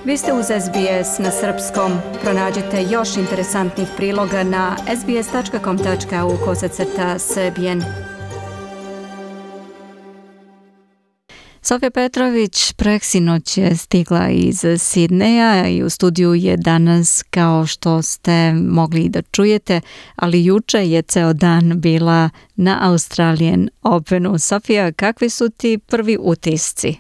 Vi ste uz SBS na srpskom. Pronađite još interesantnih priloga na sbs.com.au/srbijen. Sofija Petrović preksinoć je stigla iz Sidneja i u studiju je danas, kao što ste mogli da čujete, ali juče je ceo dan bila na Australian Openu. Sofija, kakvi su ti prvi utisci?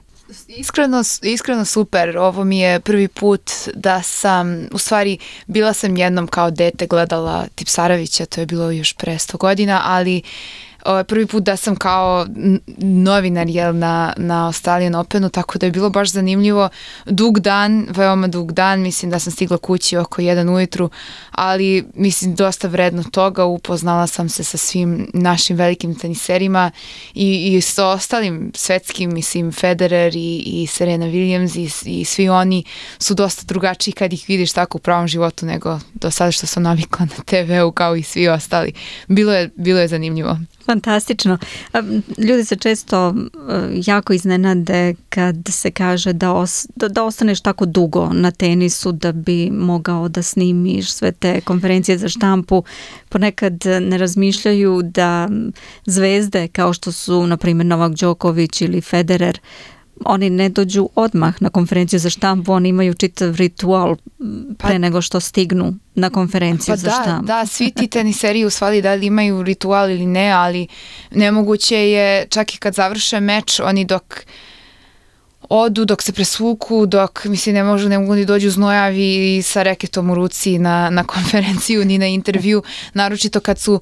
Iskreno super. Ovo mi je prvi put da sam, u stvari bila sam jednom kao dete gledala Tipsarevića, to je bilo još pre 100 godina, ali prvi put da sam kao novinar na Australian Openu, tako da je bilo baš zanimljivo. Dug dan, veoma dug dan, mislim da sam stigla kući oko 1 ujutru, ali mislim dosta vredno toga. Upoznala sam se sa svim našim velikim teniserima i sa ostalim svetskim, mislim Federer i Serena Williams i svi oni su dosta drugačiji kad ih vidiš tako u pravom životu nego do sada što sam navikla na TV-u kao i svi ostali. Bilo je zanimljivo. Fantastično. Ljudi se često jako iznenade kad se kaže da ostaneš tako dugo na tenisu da bi mogao da snimiš sve te konferencije za štampu. Ponekad ne razmišljaju da zvezde kao što su na primjer Novak Đoković ili Federer, oni ne dođu odmah na konferenciju za štampu, oni imaju čitav ritual pre nego što stignu na konferenciju za štampu. Da, svi ti teniseri u stvari da li imaju ritual ili ne, ali nemoguće je čak i kad završe meč, oni dok odu, dok se presvuku, dok mislim ne mogu ni dođu znojavi i sa reketom u ruci na konferenciju ni na intervju, naročito kad su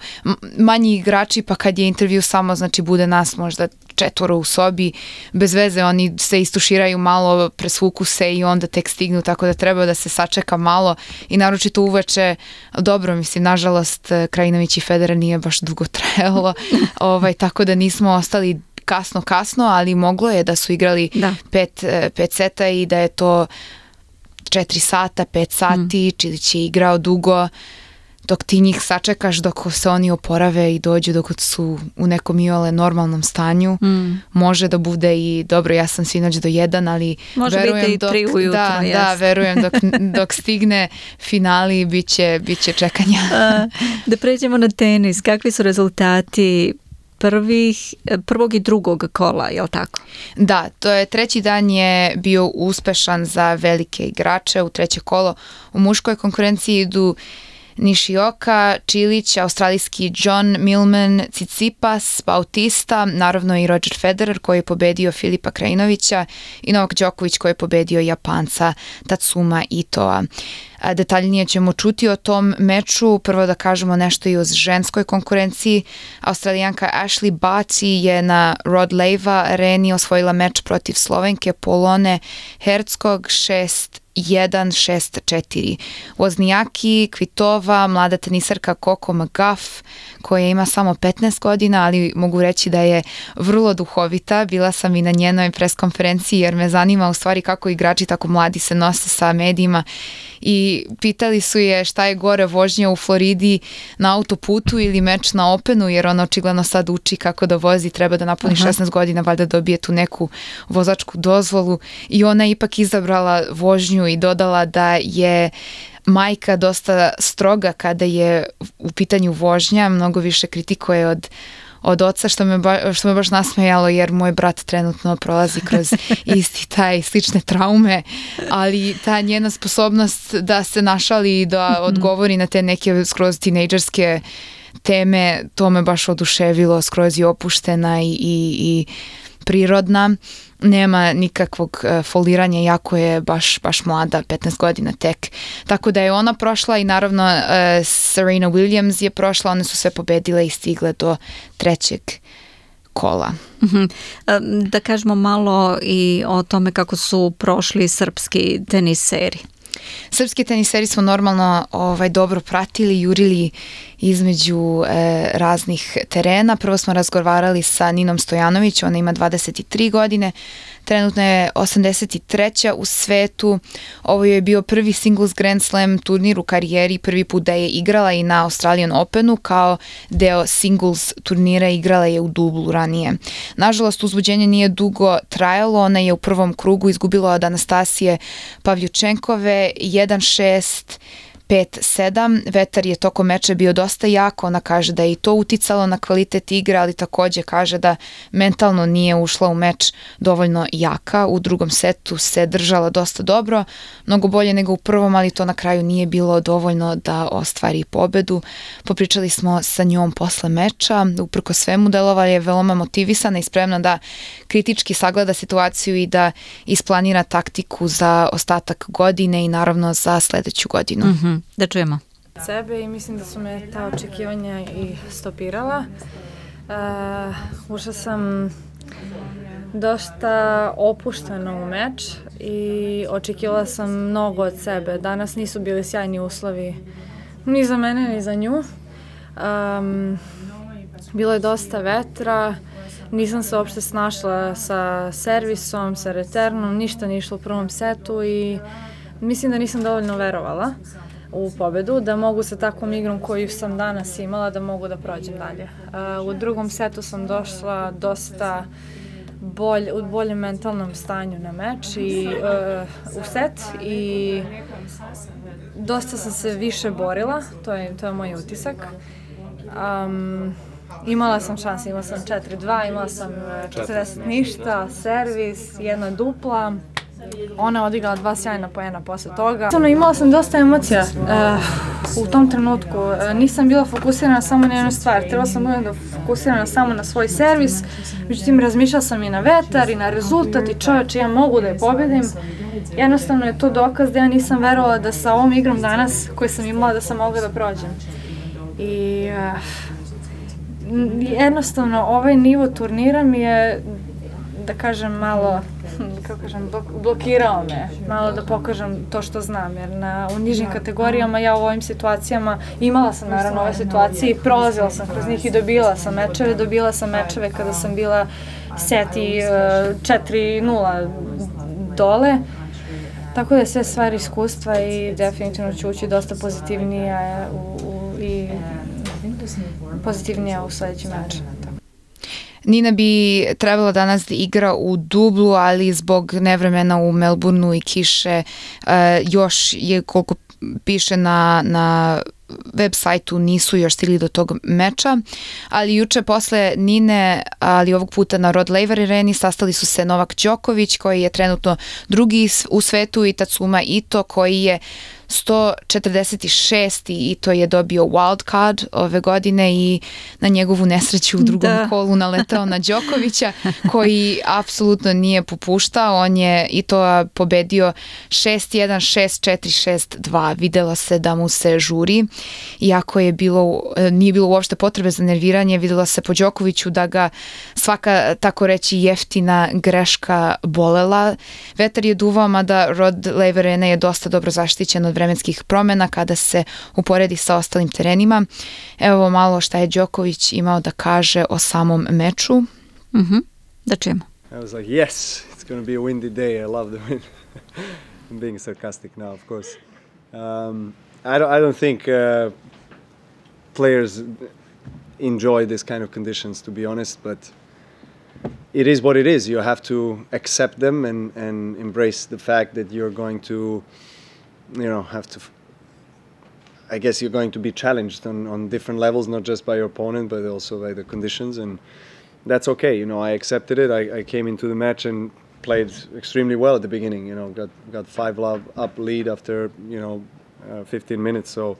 manji igrači, pa kad je intervju samo, znači bude nas možda 4 u sobi, bez veze oni se istuširaju malo, presvuku se i onda tek stignu, tako da treba da se sačeka malo i naročito uveče, dobro, mislim, nažalost Krajinović i Federer nije baš dugo trajalo, tako da nismo ostali kasno, ali moglo je da su igrali 5 seta i da je to 4 sata, 5 sati, Čilić je igrao dugo, dok ti njih sačekaš, dok se oni oporave i dođu, dok su u nekom iole normalnom stanju, može da bude i dobro, ja sam sinoć do 1, ali može verujem biti i 3 ujutro. Verujem dok stigne finali, bit će čekanja. Da pređemo na tenis, kakvi su rezultati prvog i drugog kola, je li tako? Da, to je treći dan je bio uspešan za velike igrače u treće kolo. U muškoj konkurenciji idu Nishioka, Čilić, australijski John Millman, Tsitsipas, Bautista, naravno i Roger Federer koji je pobedio Filipa Krajinovića i Novak Đoković koji je pobedio Japanca Tatsuma Itoa. Detaljnije ćemo čuti o tom meču. Prvo da kažemo nešto i o ženskoj konkurenciji. Australijanka Ashley Barty je na Rod Laver areni osvojila meč protiv Slovenke Polone Hercog 6-1, 6-4. Voznijaki, Kvitova, mlada tenisarka Coco Gauff, koja ima samo 15 godina, ali mogu reći da je vrlo duhovita. Bila sam i na njenoj preskonferenciji jer me zanima u stvari kako igrači tako mladi se nose sa medijima i pitali su je šta je gore, vožnja u Floridi na autoputu ili meč na Openu, jer ona očigledno sad uči kako da vozi, treba da napuni 16 godina, valjda dobije tu neku vozačku dozvolu i ona je ipak izabrala vožnju i dodala da je majka dosta stroga kada je u pitanju vožnja, mnogo više kritikuje od oca, što me baš nasmejalo jer moj brat trenutno prolazi kroz slične traume, ali ta njena sposobnost da se našali i da odgovori na te neke skroz tinejdžerske teme, to me baš oduševilo, skroz je opuštena i prirodna. Nema nikakvog foliranja, jako je baš mlada, 15 godina tek. Tako da je ona prošla i naravno Serena Williams je prošla, one su sve pobedile i stigle do trećeg kola. Da kažemo malo i o tome kako su prošli srpski teniseri. Srpski teniseri smo normalno dobro pratili, jurili između raznih terena. Prvo smo razgovarali sa Ninom Stojanović, ona ima 23 godine, trenutno je 83. u svetu. Ovo je bio prvi singles Grand Slam turnir u karijeri, prvi put da je igrala i na Australian Openu, kao deo singles turnira igrala je u dublu ranije. Nažalost, uzbuđenje nije dugo trajalo, ona je u prvom krugu izgubila od Anastasije Pavljučenkove 1-6, 5-7. Vetar je tokom meča bio dosta jak, ona kaže da je i to uticalo na kvalitet igre, ali takođe kaže da mentalno nije ušla u meč dovoljno jaka. U drugom setu se držala dosta dobro, mnogo bolje nego u prvom, ali to na kraju nije bilo dovoljno da ostvari pobedu. Popričali smo sa njom posle meča, uprko svemu delova je veoma motivisana i spremna da kritički sagleda situaciju i da isplanira taktiku za ostatak godine i naravno za sledeću godinu. Da čujemo. Sebe i mislim da su me ta očekivanja i stopirala. Ušla sam dosta opuštena u meč i očekivala sam mnogo od sebe. Danas nisu bili sjajni uslovi ni za mene ni za nju. Bilo je dosta vetra, nisam se uopšte snašla sa servisom, sa returnom, ništa nije išlo u prvom setu i mislim da nisam dovoljno verovala u pobedu, da mogu sa takvom igrom koju sam danas imala, da mogu da prođem dalje. U drugom setu sam došla dosta u boljem mentalnom stanju na meč i u set i dosta sam se više borila, to je moj utisak. Imala sam šanse, imala sam 4-2, imala sam 40 ništa, servis, jedna dupla. Ona je odigrala 2 sjajna poena posle toga. Imala sam dosta emocija u tom trenutku. Nisam bila fokusirana samo na jednu stvar. Trebala sam da fokusirana samo na svoj servis. Međutim, razmišljala sam i na vetar i na rezultat i čoveče, ja mogu da je pobedim. Jednostavno je to dokaz da ja nisam verovala da sa ovom igrom danas koju sam imala da sam mogla da prođem. I jednostavno ovaj nivo turnira mi je, da kažem, malo blokirao me, malo da pokažem to što znam, jer u nižim kategorijama ja u ovim situacijama imala sam naravno ove situacije i prolazila sam kroz njih i dobila sam mečeve kada sam bila seti 4-0 dole, tako da je sve stvari iskustva i definitivno ću ući dosta pozitivnija u sledeći meč. Nina bi trebala danas da igra u dublu, ali zbog nevremena u Melbourneu i kiše još je, koliko piše na web sajtu, nisu još stigli do tog meča, ali juče posle Nine, ali ovog puta na Rod Laver Areni, sastali su se Novak Đoković koji je trenutno drugi u svetu i Tatsuma Ito koji je 146. i to je dobio wild card ove godine i na njegovu nesreću u drugom kolu naletao na Đokovića koji apsolutno nije popuštao. On je i to pobedio 6-1, 6-4, 6-2. Videlo se da mu se žuri. Iako nije bilo uopšte potrebe za nerviranje, videlo se po Đokoviću da ga svaka, tako reći, jeftina greška bolela. Vetar je duvao, mada Rod Laver Arena je dosta dobro zaštićen od vremenskih promena kada se uporedi sa ostalim terenima. Evo malo šta je Đoković imao da kaže o samom meču. Da čujemo. I was like, yes, it's going to be a windy day. I love the wind. I'm being sarcastic now, of course. I don't think players enjoy this kind of conditions, to be honest, but it is what it is. You have to accept them and embrace the fact that you're going to, I guess you're going to be challenged on different levels, not just by your opponent, but also by the conditions, and that's okay. I accepted it. I came into the match and played extremely well at the beginning. Got 5 up lead after 15 minutes. So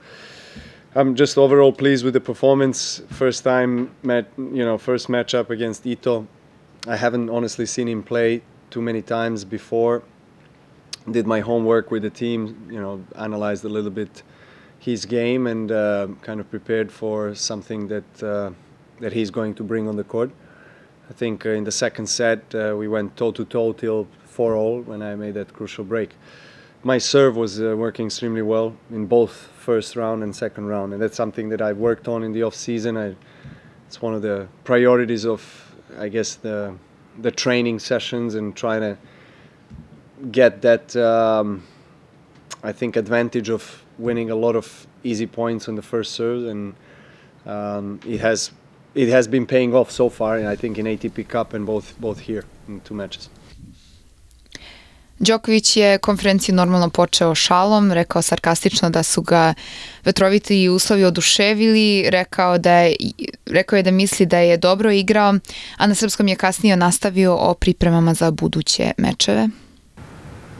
I'm just overall pleased with the performance. First matchup against Ito. I haven't honestly seen him play too many times before. Did my homework with the team, analyzed a little bit his game and kind of prepared for something that he's going to bring on the court. I think in the second set we went toe-to-toe till 4-all when I made that crucial break. my serve was working extremely well in both first round and second round, and that's something that I've worked on in the off season. It's one of the priorities of, I guess, the training sessions, and trying to get that I think advantage of winning a lot of easy points on the first serve, and it has been paying off so far, and I think in ATP Cup and both here in 2 matches. Đoković je konferenciju normalno počeo šalom, rekao sarkastično da su ga vetroviti uslovi oduševili, rekao je da misli da je dobro igrao, a na srpskom je kasnije nastavio o pripremama za buduće mečeve.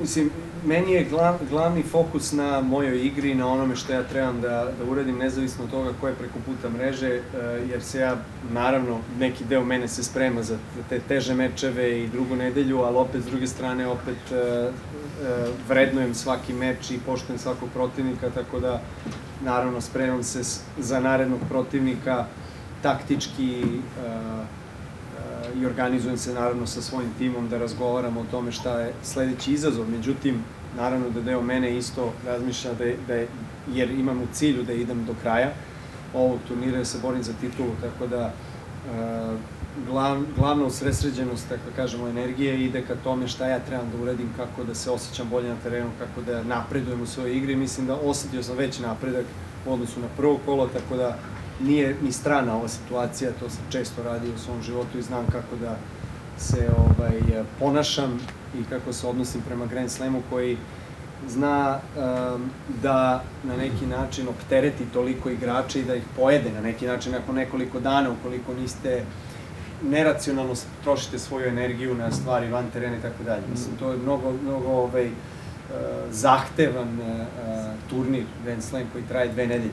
Mislim, meni je glavni fokus na mojoj igri, na onome što ja trebam da uradim, nezavisno od toga ko je preko puta mreže, jer se ja, naravno, neki deo mene se sprema za te teže mečeve i drugu nedelju, ali opet, s druge strane, vrednujem svaki meč i poštujem svakog protivnika, tako da, naravno, spremam se za narednog protivnika taktički, i organizujem se naravno sa svojim timom da razgovaramo o tome šta je sledeći izazov. Međutim, naravno da deo mene isto razmišlja jer imam u cilju da idem do kraja ovog turnira, da se borim za titulu, tako da glavna usredsređenost, tako kažemo, energije ide ka tome šta ja trebam da uradim, kako da se osjećam bolje na terenu, kako da napredujem u svojoj igri. Mislim da osetio sam veći napredak u odnosu na prvo kolo, tako da nije ni strana ova situacija, to sam često radio u svom životu i znam kako da se ponašam i kako se odnosim prema Grand Slamu, koji zna da na neki način optereti toliko igrača i da ih pojede na neki način nakon nekoliko dana, ukoliko niste neracionalno trošite svoju energiju na stvari van terena i tako dalje. Mislim, to je mnogo zahtevan turnir Grand Slam koji traje 2 nedelje.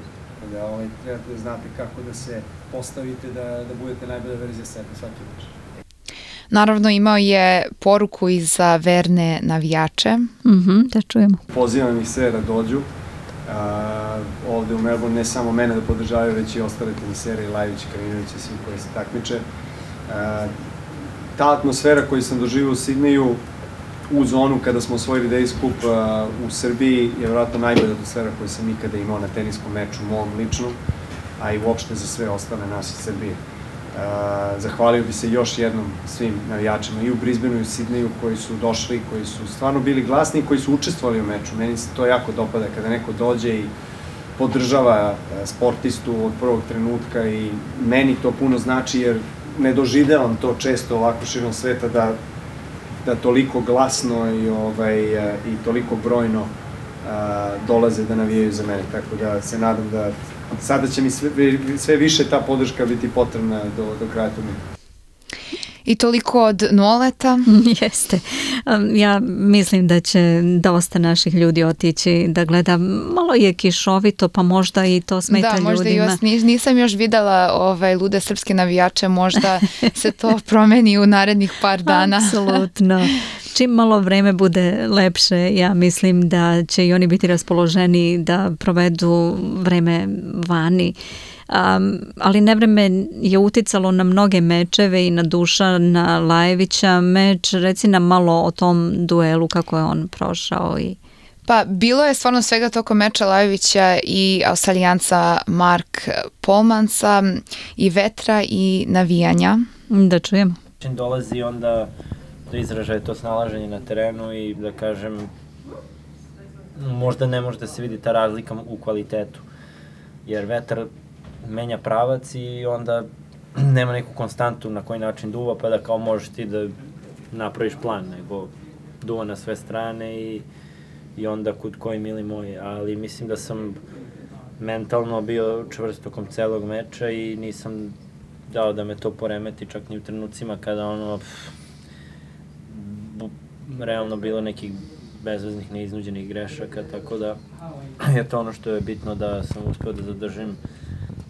Da trebate da znate kako da se postavite, da budete najbolja verzija sebe svaki meč. Naravno, imao je poruku i za verne navijače. Da čujemo. Pozivam ih sve da dođu. Ovde u Melbourne ne samo mene da podržavaju, već i ostale tenisere, i Lajović, i Kraminović i svi koji se takmiče. Ta atmosfera koju sam doživio u Sidneju u zonu kada smo osvojili Davis Cup u Srbiji je vjerojatno najbolja atmosfera koju sam ikada imao na teniskom meču, mom ličnom, a i uopšte za sve ostale nas iz Srbije. Zahvalio bi se još jednom svim navijačima i u Brisbaneu i u Sidneju koji su došli, koji su stvarno bili glasni i koji su učestvovali u meču. Meni se to jako dopada kada neko dođe i podržava sportistu od prvog trenutka, i meni to puno znači jer ne doživljavam to često ovako širom sveta da toliko glasno i toliko brojno dolaze da navijaju za mene. Tako da se nadam da sada će mi sve više ta podrška biti potrebna do kraja turnira. I toliko od Noleta. Jeste. Ja mislim da će dosta naših ljudi otići da gleda. Malo je kišovito, pa možda i to smeta ljudima. Da, možda nisam još videla lude srpske navijače, možda se to promeni u narednih par dana. Apsolutno. Čim malo vreme bude lepše, ja mislim da će i oni biti raspoloženi da provedu vreme vani. Ali nevreme je uticalo na mnoge mečeve i na Dušana Lajovića meč. Reci nam malo o tom duelu, kako je on prošao. Pa bilo je stvarno svega tokom meča Lajovića i Australijanca Mark Polmansa, i vetra i navijanja. Da čujemo. Dolazi onda do izražaja to snalaženje na terenu i da kažem, možda ne može da se vidi ta razlika u kvalitetu, jer vetar menja pravac i onda nema neku konstantu na koji način duva, pa da kao možeš ti da napraviš plan, nego duva na sve strane i onda kud koji mili moji, ali mislim da sam mentalno bio čvrst tokom celog meča i nisam dao da me to poremeti čak ni u trenucima kada realno bilo nekih bezveznih, neiznuđenih grešaka, tako da je to ono što je bitno, da sam uspeo da zadržim,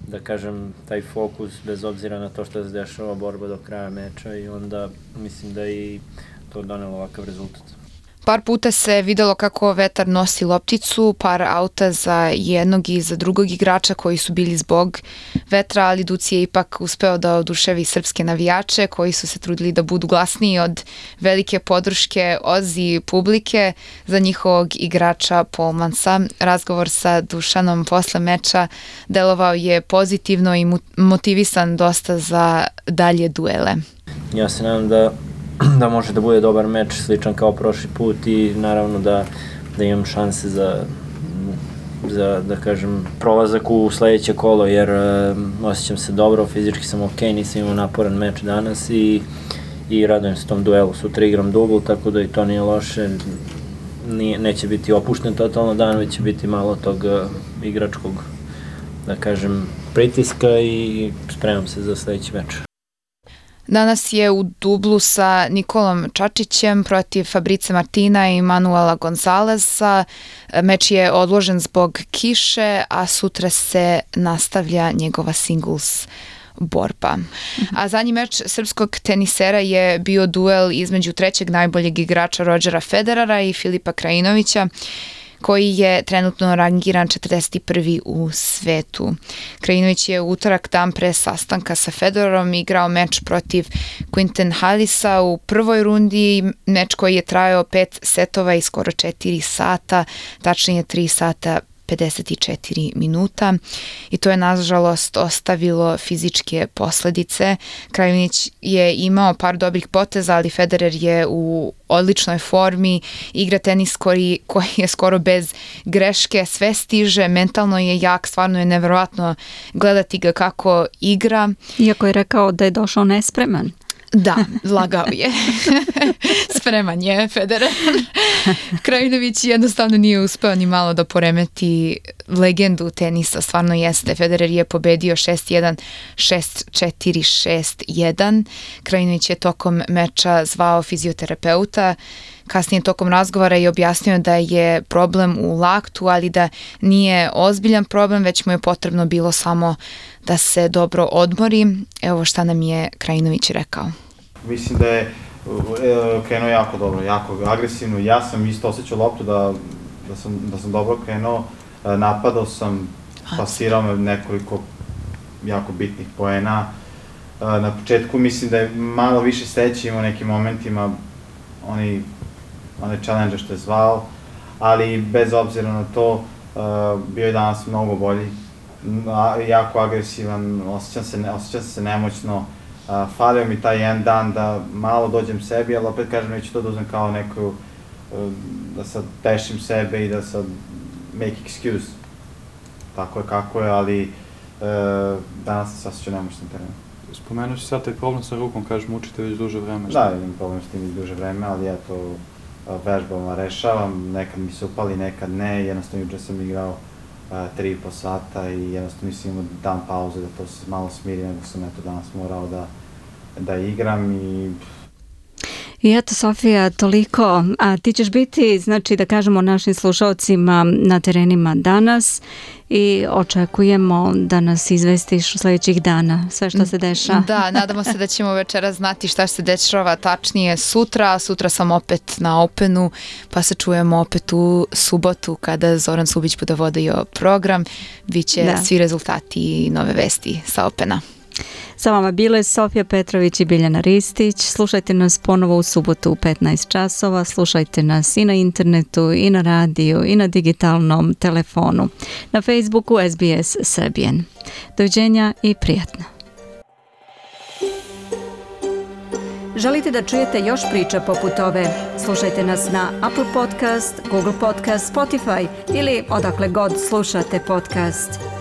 da kažem, taj fokus bez obzira na to što se dešava borba do kraja meča, i onda mislim da i to donelo ovakav rezultat. Par puta se videlo kako vetar nosi lopticu, par auta za jednog i za drugog igrača koji su bili zbog vetra, ali Duci je ipak uspeo da oduševi srpske navijače koji su se trudili da budu glasniji od velike podrške Ozi publike za njihovog igrača Polmansa. Razgovor sa Dušanom posle meča delovao je pozitivno i motivisan dosta za dalje duele. Ja se nadam da može da bude dobar meč, sličan kao prošli put i naravno da imam šanse za da kažem, prolazak u sledeće kolo, jer osjećam se dobro, fizički sam ok, nisam imao naporan meč danas i radujem se tom duelu. Sutra igram dubl, tako da i to nije loše, neće biti opušten totalno dan, već će biti malo tog igračkog, da kažem, pritiska i spremam se za sledeći meč. Danas je u dublu sa Nikolom Čačićem protiv Fabrice Martina i Manuela Gonzaleza. Meč je odložen zbog kiše, a sutra se nastavlja njegova singles borba. A zadnji meč srpskog tenisera je bio duel između trećeg najboljeg igrača Rodgera Federera i Filipa Krajinovića, koji je trenutno rangiran 41. u svetu. Krajinović je u utorak dan pre sastanka sa Federerom igrao meč protiv Quinten Halisa u prvoj rundi, meč koji je trajao 5 setova i skoro 4 sata, tačnije 3 sata 54 minuta i to je nažalost ostavilo fizičke posledice. Krajinić je imao par dobrih poteza, ali Federer je u odličnoj formi, igra tenis koji je skoro bez greške, sve stiže, mentalno je jak, stvarno je neverovatno gledati ga kako igra. Iako je rekao da je došao nespreman. Da, lagao je. Spreman je Federer. Krajinović jednostavno nije uspeo ni malo da poremeti legendu tenisa, stvarno jeste. Federer je pobedio 6-1, 6-4, 6-1. Krajinović je tokom meča zvao fizioterapeuta, kasnije tokom razgovara i objasnio da je problem u laktu, ali da nije ozbiljan problem, već mu je potrebno bilo samo da se dobro odmori. Evo šta nam je Krajinović rekao. Mislim da je krenuo jako dobro, jako agresivno. Ja sam isto osjećao loptu da sam dobro krenuo. Napadao sam, pasirao me nekoliko jako bitnih poena. Na početku mislim da je malo više sreće imao u nekim momentima onaj challenge što je zvao, ali bez obzira na to bio je danas mnogo bolji, jako agresivan, osjećam se nemoćno, falio mi taj jedan dan da malo dođem sebi, ali opet kažem neću to da uzem kao neku, da sad tešim sebe i da sad make excuse, tako je kako je, ali danas se osjećam nemoćno na terenu. Spomenuo si sad taj problem sa rukom, kažeš mučite već duže vreme. Da, imam problem s tim već duže vreme, ali ja to vežbama rešavam, nekad mi se upali, nekad ne, jednostavno juče sam igrao 3,5 sata i jednostavno nisam imao dan pauze da to se malo smiri, nego sam eto danas morao da igram I eto, Sofija, toliko. A ti ćeš biti, znači da kažemo našim slušalcima na terenima danas i očekujemo da nas izvestiš u sledećih dana sve što se dešava. Da, nadamo se da ćemo večera znati šta se dešava tačnije sutra. Sutra sam opet na Openu, pa se čujemo opet u subotu kada Zoran Subić bude vodio program. Biće svi rezultati i nove vesti sa Opena. Sa vama bile Sofija Petrović i Biljana Ristić. Slušajte nas ponovo u subotu u 15 časova. Slušajte nas i na internetu, i na radiju, i na digitalnom telefonu. Na Facebooku SBS Serbian. Doviđenja i prijatno. Želite da čujete još priča poput ove? Slušajte nas na Apple Podcast, Google Podcast, Spotify ili odakle god slušate podcast.